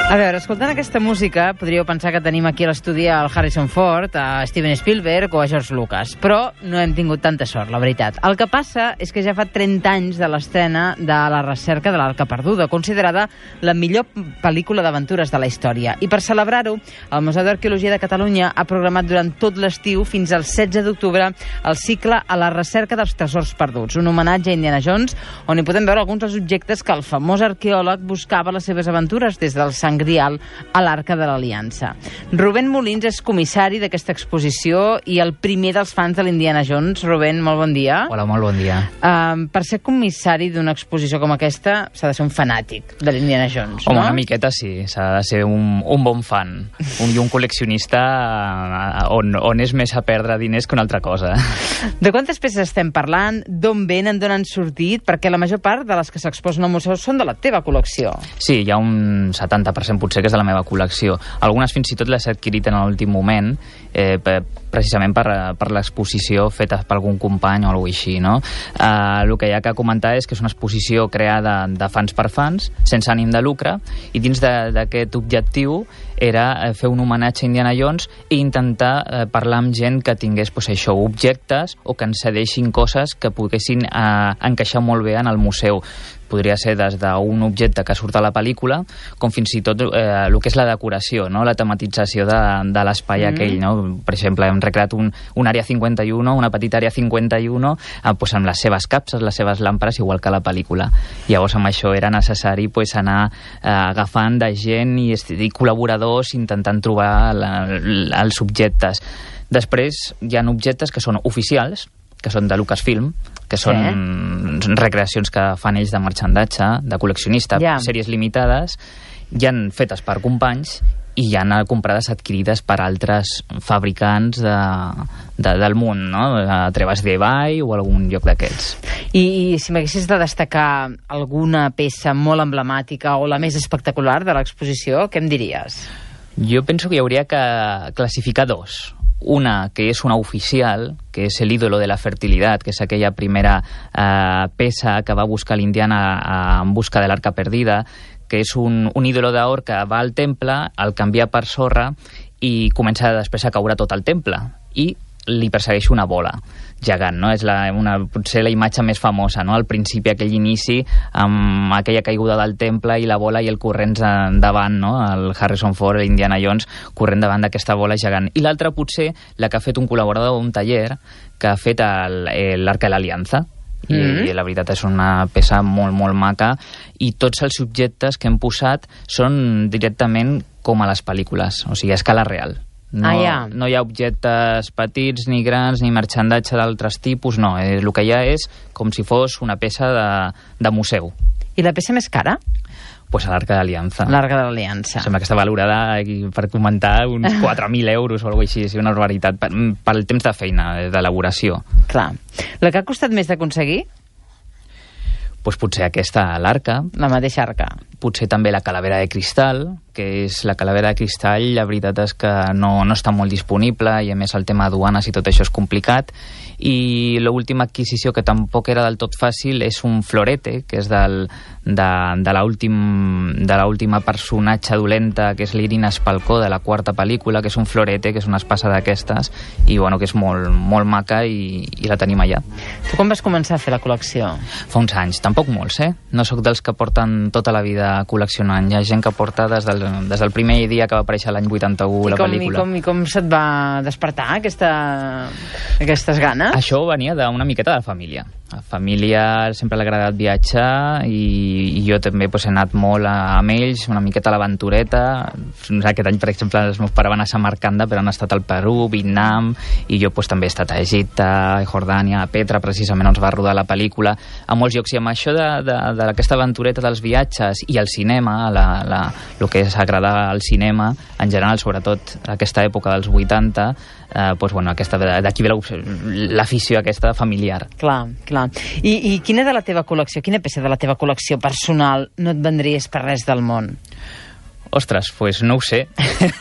A veure, escoltant aquesta música, podríeu pensar que tenim aquí a l'estudi el Harrison Ford, a Steven Spielberg o a George Lucas, però no hem tingut tanta sort, la veritat. El que passa és que ja fa 30 anys de l'estrena de La recerca de l'Arca Perduda, considerada la millor pel·lícula d'aventures de la història. I per celebrar-ho, el Museu d'Arqueologia de Catalunya ha programat durant tot l'estiu, fins al 16 d'octubre, el cicle A la recerca dels tresors perduts, un homenatge a Indiana Jones, on hi podem veure alguns dels objectes que el famós arqueòleg buscava a les seves aventures, des del Sant Grial a l'Arca de l'Aliança. Rubén Molins és comissari d'aquesta exposició i el primer dels fans de l'Indiana Jones. Rubén, molt bon dia. Hola, molt bon dia. Per ser comissari d'una exposició com aquesta s'ha de ser un fanàtic de l'Indiana Jones, Home, no? una miqueta sí, s'ha de ser un bon fan i un col·leccionista on és més a perdre diners que una altra cosa. De quantes peces estem parlant? D'on venen? D'on han sortit? Perquè la major part de les que s'exposen al museu són de la teva col·lecció. Sí, hi ha un 70% potser que és de la meva col·lecció. Algunes fins i tot les he adquirit en l'últim moment, precisament per l'exposició feta per algun company o alguna cosa així, no? El que hi ha que comentar és que és una exposició creada de fans per fans, sense ànim de lucre, i dins d'aquest objectiu era fer un homenatge a Indiana Jones i intentar parlar amb gent que tingués objectes o que ens cedeixin coses que poguessin encaixar molt bé en el museu. Podria ser des d'un objecte que surt a la pel·lícula, com fins i tot el que és la decoració, no? La tematització de l'espai aquell, no? Per exemple, hem recreat un àrea 51, una petita àrea 51, amb les seves capses, les seves làmperes, igual que a la pel·lícula. Llavors, amb això era necessari anar agafant de gent i col·laboradors intentant trobar els objectes. Després, hi ha objectes que són oficials, que són de Lucasfilm, que són recreacions que fan ells de marxandatge, de col·leccionista, sèries limitades, ja han fetes per companys i ja han comprades adquirides per altres fabricants del món, no? A Trevas de Bay o algun lloc d'aquests. I si m'haguessis de destacar alguna peça molt emblemàtica o la més espectacular de l'exposició, què em diries? Jo penso que hi hauria que classificar dos. Una, que és una oficial, que és el ídolo de la fertilitat, que és aquella primera peça que va buscar l'Indiana en busca de l'Arca Perdida, que és un ídolo d'or que va al temple, el canvia per sorra i comença després a caure tot el temple. I li persegueix una bola gegant, no? És potser la imatge més famosa, no? Al principi, aquell inici, amb aquella caiguda del temple i la bola i el corrents davant, no? El Harrison Ford, l'Indiana Jones, corrent davant d'aquesta bola gegant. I l'altra, potser, la que ha fet un col·laborador d'un taller que ha fet l'Arca de l'Aliança. I la veritat és una peça molt, molt maca, i tots els objectes que hem posat són directament com a les pel·lícules, o sigui, a escala real. No hi ha objectes petits, ni grans, ni marxandatge d'altres tipus, no. El que hi ha és com si fos una peça de museu. I la peça més cara? Pues a l'Arca de l'Aliança. L'Arca de l'Aliança. Sembla que està valorada, per comentar, uns 4.000 euros o alguna cosa així, una barbaritat, pel temps de feina, d'elaboració. Clar. La que ha costat més d'aconseguir? Pues potser aquesta, l'Arca. La mateixa Arca. Potser també la calavera de cristall, que és la calavera de cristall, la veritat és que no està molt disponible, i a més el tema aduanes i tot això és complicat. I l'última adquisició, que tampoc era del tot fàcil, és un florete, que és de l'última personatge dolenta, que és l'Irina Spalkó, de la quarta pel·lícula, que és un florete, que és una espasa d'aquestes, i bueno, que és molt, molt maca, i la tenim allà. Tu quan vas començar a fer la col·lecció? Fa uns anys, tampoc molts, No sóc dels que porten tota la vida col·leccionant. Hi ha gent que porta des del primer dia que va aparèixer l'any 81 la pel·lícula. I com se't va despertar aquestes ganes? Això venia d'una miqueta de la família. A la família sempre l'ha agradat viatjar, i jo també he anat molt amb ells, una miqueta a l'aventureta. Aquest any, per exemple, els meus pares van a Samarcanda, però han estat al Perú, Vietnam, i jo també he estat a Egipte, a Jordània, a Petra, precisament on es va rodar la pel·lícula, a molts llocs. I amb això d'aquesta aventureta dels viatges i el cinema, el que és agradar al cinema, en general, sobretot aquesta època dels 80, d'aquí ve l'afició aquesta familiar. Clar. I quina de la teva col·lecció, quina peça de la teva col·lecció personal no et vendries per res del món? Ostres, pues no ho sé.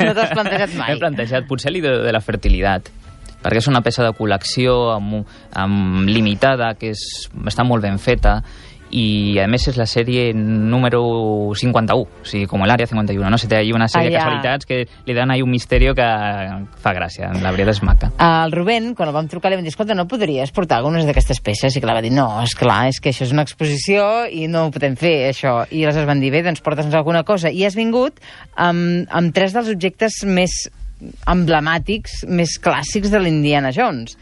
No t'has plantejat mai? M'he plantejat potser l'idea de la fertilitat, perquè és una peça de col·lecció limitada, que està molt ben feta, i a més és la sèrie número 51, o sigui, com l'Àrea 51, no? Se té ahí una sèrie de casualitats que li donen ahí un misteri que fa gràcia, la veritat és maca. El Rubén, quan el vam trucar, li vam dir, escolta, no podries portar algunes d'aquestes peces? I clar, va dir, no, és que això és una exposició i no ho podem fer, això. I aleshores van dir, bé, doncs porta'ns alguna cosa. I has vingut amb 3 dels objectes més emblemàtics, més clàssics de l'Indiana Jones.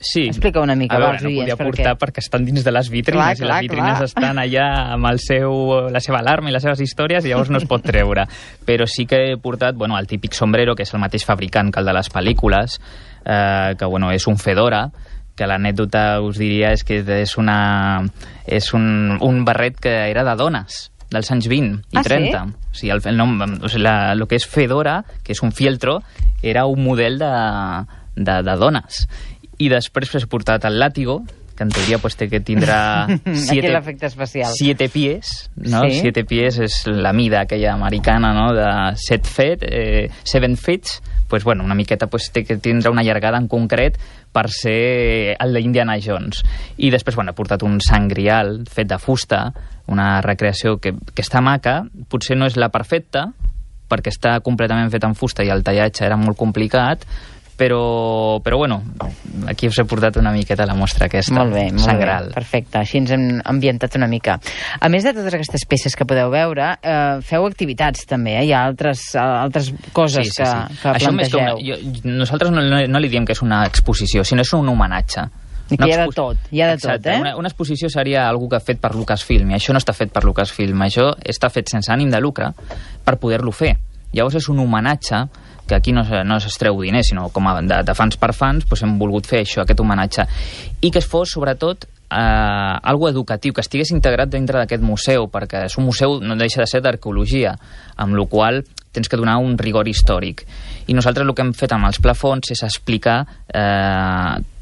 Sí. Explica una mica, no podia portar perquè estan dins de les vitrines, i les vitrines estan allà amb la seva alarma i les seves històries, i llavors no es pot treure. Però sí que he portat el típic sombrero, que és el mateix fabricant que el de les pel·lícules, que és un fedora, que l'anècdota us diria és que és un barret que era de dones, dels anys 20 i 30. Sí? O sigui, el nom, el que és fedora, que és un fieltro, era un model de dones. I després he portat el làtigo, que en teoria té que tindrà 7 pies, no? Sí. 7 pies és la mida aquella americana, no? De 7 feet, una miqueta té que tindre una llargada en concret per ser el d'Indiana Jones. I després he portat un sant grial fet de fusta, una recreació que està maca, potser no és la perfecta, perquè està completament fet en fusta i el tallatge era molt complicat, però aquí us he portat una miqueta la mostra aquesta. Molt bé, perfecte, així ens hem ambientat una mica. A més de totes aquestes peces que podeu veure, feu activitats també, hi ha altres coses que plantegeu. Nosaltres no li diem que és una exposició, sinó és un homenatge. I que hi ha de tot, eh? Una exposició seria algú que ha fet per Lucasfilm, i això no està fet per Lucasfilm, això està fet sense ànim de lucre per poder-lo fer. Llavors és un homenatge que aquí no es treu diners, sinó com de fans per fans, hem volgut fer això, aquest homenatge. I que es fos, sobretot, algo educatiu, que estigués integrat dintre d'aquest museu, perquè és un museu, no deixa de ser d'arqueologia, amb la qual tens que donar un rigor històric. I nosaltres el que hem fet amb els plafons és explicar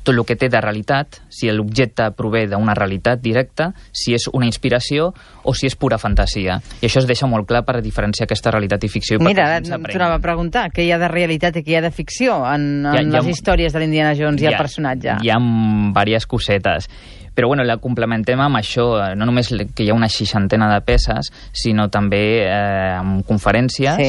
tot el que té de realitat, si l'objecte prové d'una realitat directa, si és una inspiració o si és pura fantasia. I això es deixa molt clar per diferenciar aquesta realitat i ficció. Mira, t'anava a preguntar, què hi ha de realitat i què hi ha de ficció en les històries de l'Indiana Jones i el personatge? Hi ha diverses cosetes. Però la complementem amb això, no només que hi ha una 60 de peces, sinó també amb conferències,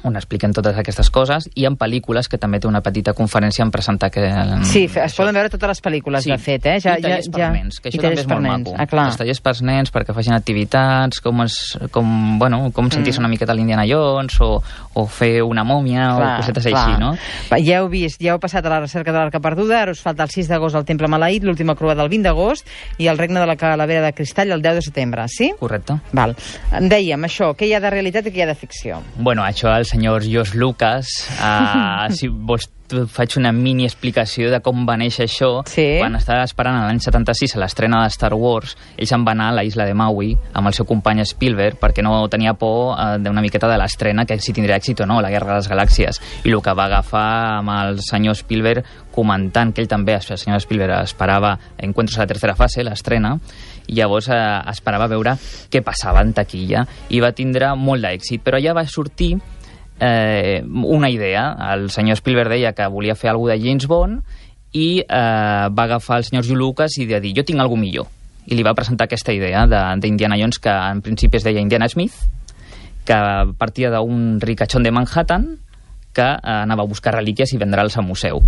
on expliquen totes aquestes coses, i en pel·lícules, que també té una petita conferència en presentar que... Sí, es poden veure totes les pel·lícules, de fet, I tallers per nens, que això també és molt maco. Els tallers per nens, perquè facin activitats, com sentir-se una miqueta a l'Indiana Jones, o fer una mòmia, o cosetes així, no? Ja heu vist, ja heu passat a la recerca de l'Arca Perduda, ara us falta el 6 d'agost al Temple Maleït, l'última croada el 20 d'agost, i el Regne de la Calavera de Cristall el 10 de setembre, sí? Correcte. Val. Dèiem, això, què hi ha de realitat i què hi ha de ficció? Això el senyor George Lucas, si vols faig una mini explicació de com va néixer això. Quan estava esperant l'any 76 a l'estrena de Star Wars, ells en van anar a la isla de Maui amb el seu company Spielberg, perquè no tenia por d'una miqueta de l'estrena, que si tindria èxit o no, la Guerra de les Galàxies. I el que va agafar amb el senyor Spielberg, comentant que ell també, el senyor Spielberg, esperava Encuentros a la tercera fase, l'estrena, i llavors esperava veure què passava en taquilla, i va tindre molt d'èxit. Però allà va sortir una idea. El senyor Spielberg deia que volia fer alguna de James Bond i va agafar el senyor George Lucas i va dir, jo tinc alguna millor, i li va presentar aquesta idea d'Indiana Jones, que en principi es deia Indiana Smith, que partia d'un ricachón de Manhattan que anava a buscar relíquies i vendre'ls al museu.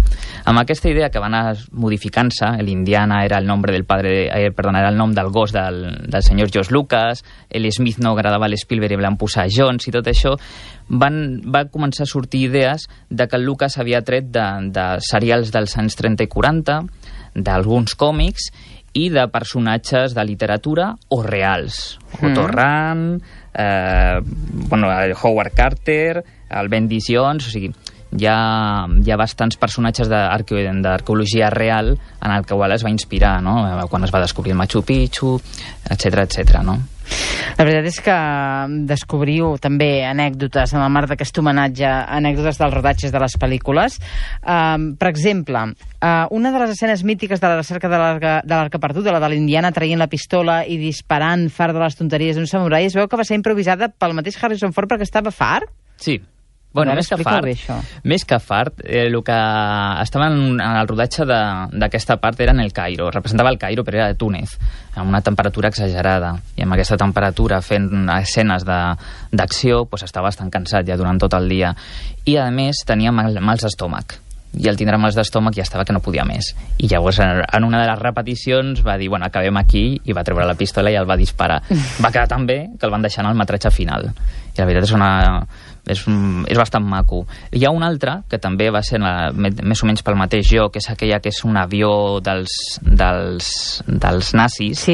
Amb aquesta idea que va anar modificant-se, l'Indiana era el nom era el nom del gos del senyor George Lucas, Smith no agradava a l'Spielberg i van posar Jones i tot això, va començar a sortir idees de que el Lucas havia tret de serials dels anys 30 i 40, d'alguns còmics i de personatges de literatura o reals. Otto Rahn, Howard Carter, el Bendy Jones, o sigui, hi ha bastants personatges d'arqueologia real en el que es va inspirar, no? Quan es va descobrir el Machu Picchu, etc., no? La veritat és que descobriu també anècdotes en el marc d'aquest homenatge, anècdotes dels rodatges de les pel·lícules. Per exemple, una de les escenes mítiques de la recerca de l'Arca Perduda, la de l'Indiana traient la pistola i disparant fart de les tonteries d'un samurai, es veu que va ser improvisada pel mateix Harrison Ford perquè estava fart? Sí. Bueno, més que fart, el que estava en el rodatge d'aquesta part era en el Cairo, representava el Cairo però era de Túnez, amb una temperatura exagerada, i amb aquesta temperatura fent escenes d'acció estava bastant cansat ja durant tot el dia, i a més tenia mals d'estómac, i al tindre mals d'estómac ja estava que no podia més, i llavors en una de les repeticions va dir, bueno, acabem aquí, i va treure la pistola i el va disparar. Va quedar tan bé que el van deixar en el metratge final, i la veritat és bastant maco. Hi ha un altre que també va ser més o menys pel mateix joc, que és aquella que és un avió dels nazis,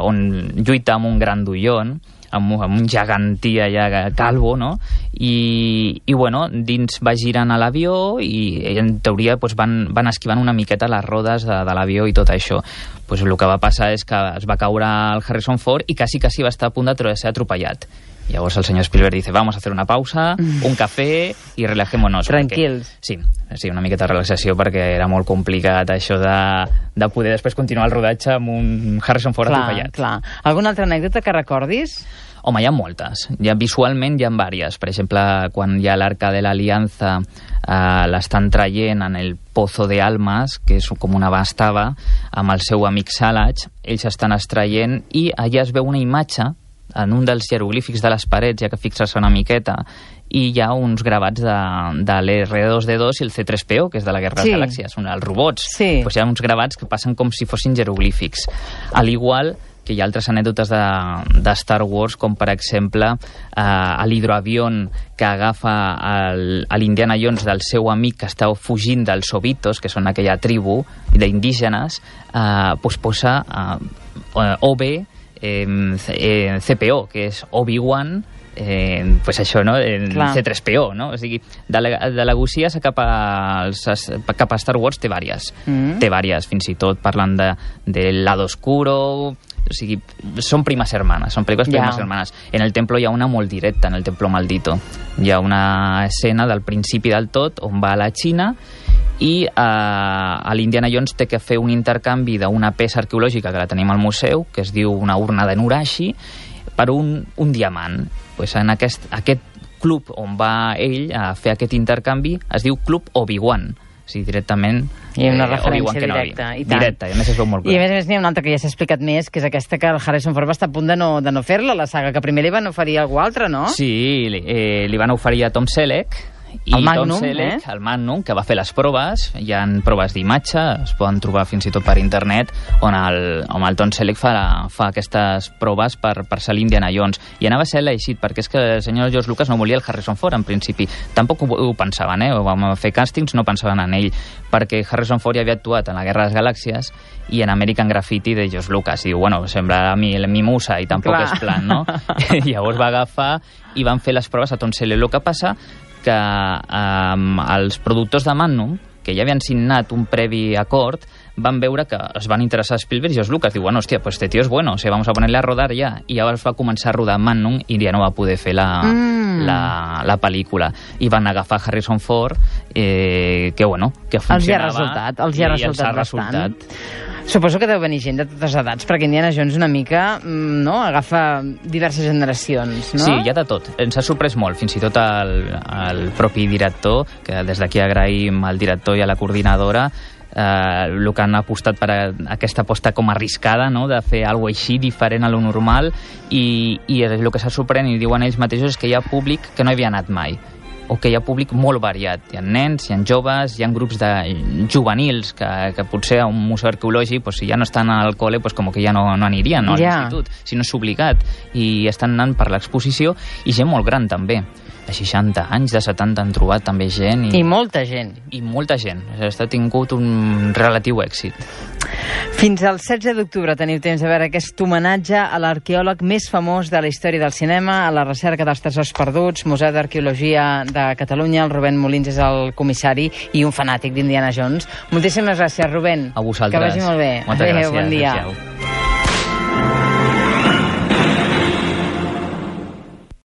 on lluita amb un grandullón, amb un gegantí allà calvo, no? I bueno, dins va girant a l'avió i en teoria van esquivant una miqueta les rodes de l'avió i tot això. El que va passar és que es va caure el Harrison Ford i quasi va estar a punt de ser atropellat. Llavors el senyor Spielberg dice, vamos a hacer una pausa, un café i relajémonos. Tranquils. Sí, una miqueta de relaxació perquè era molt complicat això de poder després continuar el rodatge amb un Harrison Ford atropellat. Clar. Alguna altra anècdota que recordis? Home, hi ha moltes. Visualment hi ha diverses. Per exemple, quan hi ha l'Arca de l'Aliança, l'estan traient en el Pozo de Almas, que és com una bastava, amb el seu amic Salach, ells estan extraient i allà es veu una imatge en un dels jeroglífics de les parets, ja que fixes una miqueta, i hi ha uns gravats de l'R2D2 i el C3PO, que és de la Guerra de les Galàxies, els robots. Hi ha uns gravats que passen com si fossin jeroglífics. Al igual que hi ha altres anècdotes de Star Wars, com per exemple l'hidroavión que agafa l'Indiana Jones del seu amic que està fugint dels Obitos, que són aquella tribu d'indígenes, posa OB CPO, que és Obi-Wan, això, no? C3PO, no? O sigui, de la Gucia cap a Star Wars té vàries. Té vàries, fins i tot parlant de Lado Oscuro. O sigui, són primes hermanes, són pel·lícules primes hermanes. En el Templo hi ha una molt directa, en el Templo Maldito. Hi ha una escena del principi del tot on va a la Xina i l'Indiana Jones té que fer un intercanvi d'una peça arqueològica que la tenim al museu, que es diu una urna de Nurashi, per un diamant. En aquest club on va ell a fer aquest intercanvi es diu Club Obi-Wan. O sigui, directament hi ha una referència directa. Directa, i a més es veu molt clar. I a més n'hi ha una altra que ja s'ha explicat més, que és aquesta que el Harrison Ford va estar a punt de no fer-la, la saga, que primer li van oferir algú altre, no? Sí, li van oferir a Tom Selleck, i el Magnum, Tom Selleck, el Magnum, que va fer les proves. Hi ha proves d'imatge, es poden trobar fins i tot per internet, on el Tom Selleck fa aquestes proves per ser l'Indiana Jones, i anava a ser elegit perquè és que el senyor George Lucas no volia el Harrison Ford en principi, tampoc ho pensaven, vam fer càstings, no pensaven en ell, perquè Harrison Ford ja havia actuat en la Guerra de les Galàxies i en American Graffiti de George Lucas, i diu, bueno, sembla a mi musa i tampoc és plan, no? Llavors va agafar i van fer les proves a Tom Selleck. El que passa que els productors de Magnum, que ja havien signat un previ acord, van veure que es van interessar a Spielberg i George Lucas. Diu, bueno, hòstia, pues este tío es bueno, o sea, vamos a ponerle a rodar ya. I llavors va començar a rodar Magnum i ja no va poder fer la pel·lícula. I van agafar Harrison Ford, que funcionava. Els hi ha resultat bastant. Suposo que deu venir gent de totes edats, perquè Indiana Jones una mica agafa diverses generacions, no? Sí, hi ha de tot. Ens ha sorprès molt, fins i tot el propi director, que des d'aquí agraïm al director i a la coordinadora, el que han apostat per aquesta aposta com arriscada, no? De fer alguna cosa així diferent a lo normal, i el que s'ha sorprès, i diuen ells mateixos, és que hi ha públic que no hi havia anat mai, o que hi ha públic molt variat. Hi ha nens, hi ha joves, hi ha grups de juvenils que potser a un museu arqueològic, si ja no estan al col·le, com que ja no anirien a l'institut, si no és obligat, i estan anant per l'exposició, i gent molt gran també. De 60 anys, de 70 han trobat també gent. I molta gent. I molta gent. Ha tingut un relatiu èxit. Fins al 16 d'octubre teniu temps de veure aquest homenatge a l'arqueòleg més famós de la història del cinema, a la recerca dels tresors perduts, Museu d'Arqueologia de Catalunya. El Rubén Molins és el comissari i un fanàtic d'Indiana Jones. Moltíssimes gràcies, Rubén. A vosaltres. Que vagi molt bé. Moltes gràcies. Bon dia. Adéu.